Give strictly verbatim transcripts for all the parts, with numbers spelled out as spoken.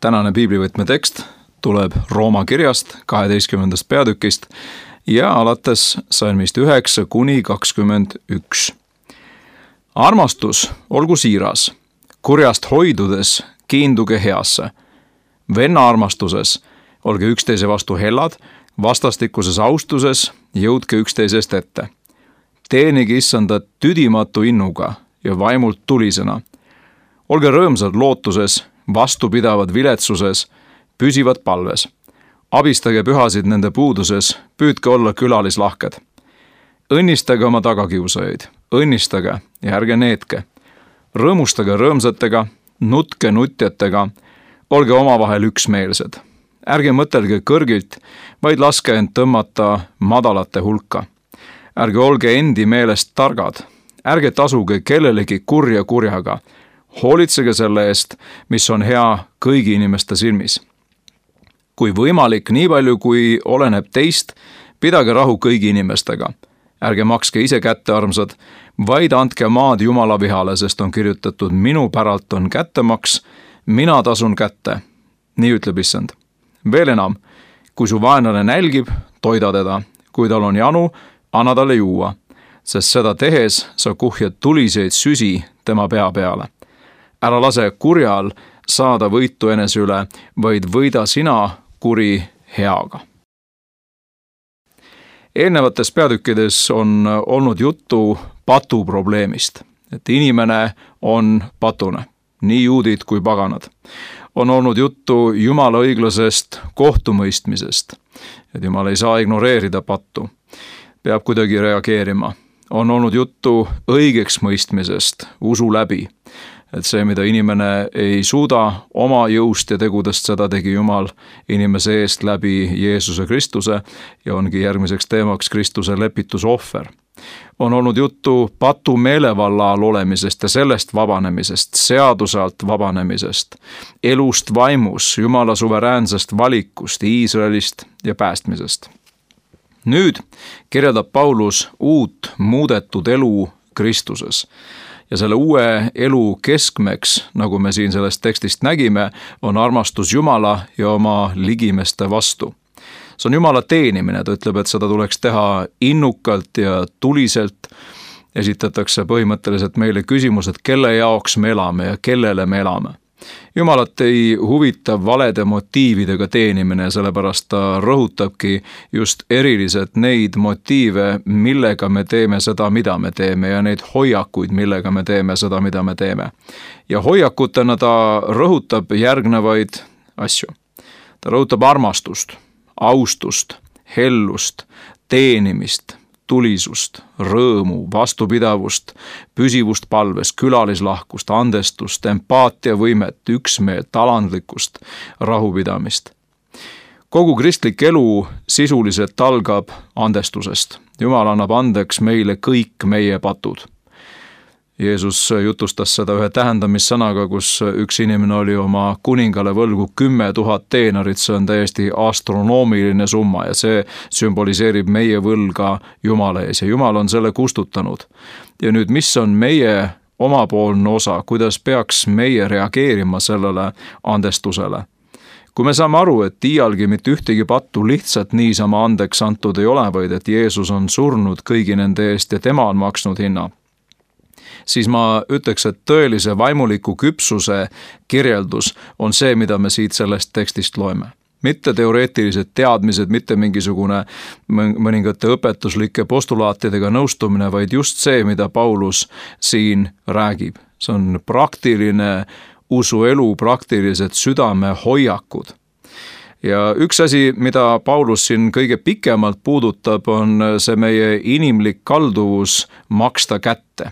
Tänane piiblivõtme tekst tuleb Rooma kirjast kaheteistkümnendast peatükist ja alates salmist üheksa kuni kakskümmend üks. Armastus olgu siiras, kurjast hoidudes kiinduge heasse. Venna armastuses olge üksteise vastu hellad, vastastikuses austuses jõudke üksteisest ette. Teenige issandat tüdimatu innuga ja vaimult tulisena. Olge rõõmsad lootuses, vastupidavad viletsuses, püsivad palves. Abistage pühasid nende puuduses, püüdke olla külalislahked. Õnnistage oma tagakiusajaid, õnnistage ja ärge neetke. Rõõmustage rõõmsatega, nutke nutjatega, olge omavahel üksmeelsed. Ärge mõtelge kõrgilt, vaid laske end tõmmata madalate hulka. Ärge olge endi meelest targad, ärge tasuge kellelegi kurja kurjaga. Hoolitsege selle eest, mis on hea kõigi inimeste silmis. Kui võimalik, nii palju kui oleneb teist, pidage rahu kõigi inimestega. Ärge makske ise kättearmsad, vaid andke maad Jumala vihale, sest on kirjutatud, minu päralt on kättemaks, mina tasun kätte. Nii ütleb issand. Veel enam, kui su vaenlane nälgib, toida teda. Kui tal on janu, anna talle juua, sest seda tehes sa kuhjad tuliseid süsi tema pea peale. Ära lase kurjal saada võitu enese üle, vaid võida sina kuri heaga. Eelnevates peatükkides on olnud juttu patu probleemist, et inimene on patune, nii juudid kui paganad. On olnud juttu Jumala õiglasest kohtumõistmisest, et Jumal ei saa ignoreerida pattu, peab kuidagi reageerima. On olnud juttu õigeks mõistmisest, usu läbi, et see, mida inimene ei suuda oma jõust ja tegudest, seda tegi Jumal inimese eest läbi Jeesuse Kristuse ja ongi järgmiseks teemaks Kristuse lepitusohver. On olnud juttu patu meelevalla all olemisest ja sellest vabanemisest, seaduse alt vabanemisest, elust vaimus, Jumala suveräänsest valikust, Iisraelist ja päästmisest. Nüüd kirjeldab Paulus uut muudetud elu Kristuses. Ja selle uue elu keskmeks, nagu me siin sellest tekstist nägime, on armastus Jumala ja oma ligimeste vastu. See on Jumala teenimine, ta ütleb, et seda tuleks teha innukalt ja tuliselt. Esitatakse põhimõtteliselt meile küsimus, et kelle jaoks me elame ja kellele me elame. Jumalat ei huvita valede motiividega teenimine, sellepärast ta rõhutabki just eriliselt neid motiive, millega me teeme seda, mida me teeme ja neid hoiakuid, millega me teeme seda, mida me teeme. Ja hoiakutena ta rõhutab järgnevaid asju. Ta rõhutab armastust, austust, hellust, teenimist, tulisust, rõõmu, vastupidavust, püsivust palves, külalislahkust, andestust, empaatiavõimet, üksmeelt, alandlikkust, rahupidamist. Kogu kristlik elu sisuliselt algab andestusest. Jumal annab andeks meile kõik meie patud. Jeesus jutustas seda ühe tähendamissõnaga, kus üks inimene oli oma kuningale võlgu kümme tuhat teenarit, see on täiesti astronoomiline summa ja see sümboliseerib meie võlga Jumala ees ja Jumal on selle kustutanud. Ja nüüd, mis on meie omapoolne osa, kuidas peaks meie reageerima sellele andestusele? Kui me saame aru, et iialgi mitte ühtegi pattu lihtsalt niisama andeks antud ei ole, vaid et Jeesus on surnud kõigi nende eest ja tema on maksnud hinna, siis ma ütleks, et tõelise vaimuliku küpsuse kirjeldus on see, mida me siit sellest tekstist loeme. Mitte teoreetilised teadmised, mitte mingisugune mõningate õpetuslike postulaatidega nõustumine, vaid just see, mida Paulus siin räägib. See on praktiline usuelu, praktilised südame hoiakud. Ja üks asi, mida Paulus siin kõige pikemalt puudutab, on see meie inimlik kalduvus maksta kätte.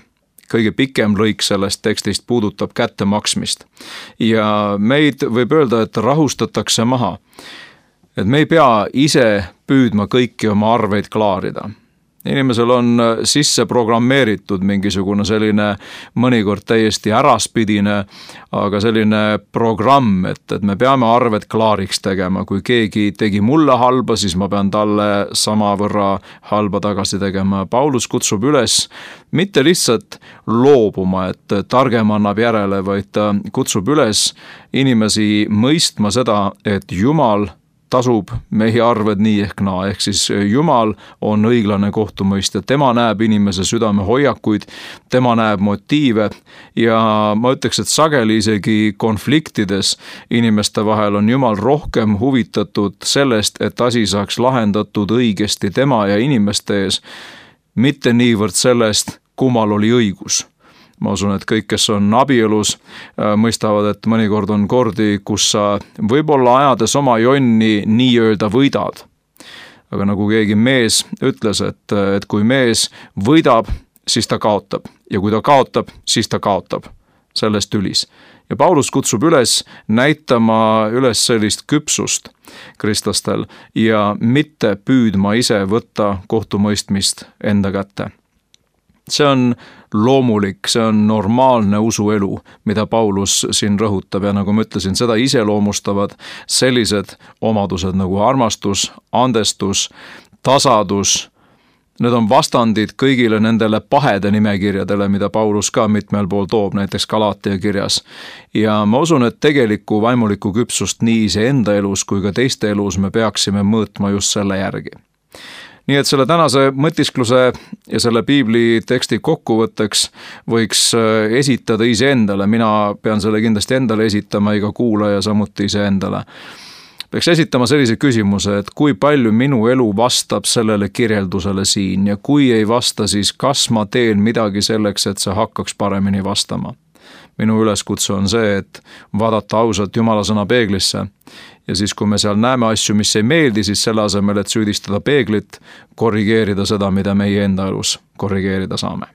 Kõige pikem lõik sellest tekstist puudutab kätte maksmist. Ja meid võib öelda, et rahustatakse maha. Et me ei pea ise püüdma kõiki oma arveid klaarida. inimesel on sisse programmeeritud mingisugune selline mõnikord täiesti äraspidine, aga selline programm, et, et me peame arved klaariks tegema. Kui keegi tegi mulle halba, siis ma pean talle samavõrra halba tagasi tegema. Paulus kutsub üles mitte lihtsalt loobuma, et targem annab järele, vaid ta kutsub üles inimesi mõistma seda, et Jumal tasub mehi arved nii ehk naa, ehk siis Jumal on õiglane kohtumõistja, tema näeb inimese südame hoiakuid, tema näeb motiive ja ma ütleks, et sageli isegi konfliktides inimeste vahel on Jumal rohkem huvitatud sellest, et asi saaks lahendatud õigesti tema ja inimeste ees, mitte niivõrd sellest, kummal oli õigus. Ma usun, et kõik, kes on abielus, mõistavad, et mõnikord on kordi, kus sa võib-olla ajades oma jonni nii-öelda võidad. Aga nagu keegi mees ütles, et, et kui mees võidab, siis ta kaotab. Ja kui ta kaotab, siis ta kaotab sellest ülis. Ja Paulus kutsub üles näitama üles sellist küpsust kristlastel ja mitte püüdma ise võtta kohtumõistmist enda kätte. See on loomulik, see on normaalne usuelu, mida Paulus siin rõhutab ja nagu ma ütlesin, seda iseloomustavad sellised omadused nagu armastus, andestus, tasadus. Need on vastandid kõigile nendele pahede nimekirjadele, mida Paulus ka mitmel pool toob, näiteks Galatia kirjas. Ja ma usun, et tegeliku vaimuliku küpsust nii iseenda elus kui ka teiste elus me peaksime mõõtma just selle järgi. Nii et selle tänase mõtiskluse ja selle piibli teksti kokkuvõtteks võiks esitada iseendale, mina pean selle kindlasti endale esitama, iga kuulaja samuti iseendale. Peaks esitama sellise küsimuse, et kui palju minu elu vastab sellele kirjeldusele siin ja kui ei vasta, siis kas ma teen midagi selleks, et see hakkaks paremini vastama. Minu üleskutse on see, et vaadata ausalt Jumala sõna peeglisse ja siis, kui me seal näeme asju, mis ei meeldi, siis selle asemel, et süüdistada peeglit, korrigeerida seda, mida meie enda elus korrigeerida saame.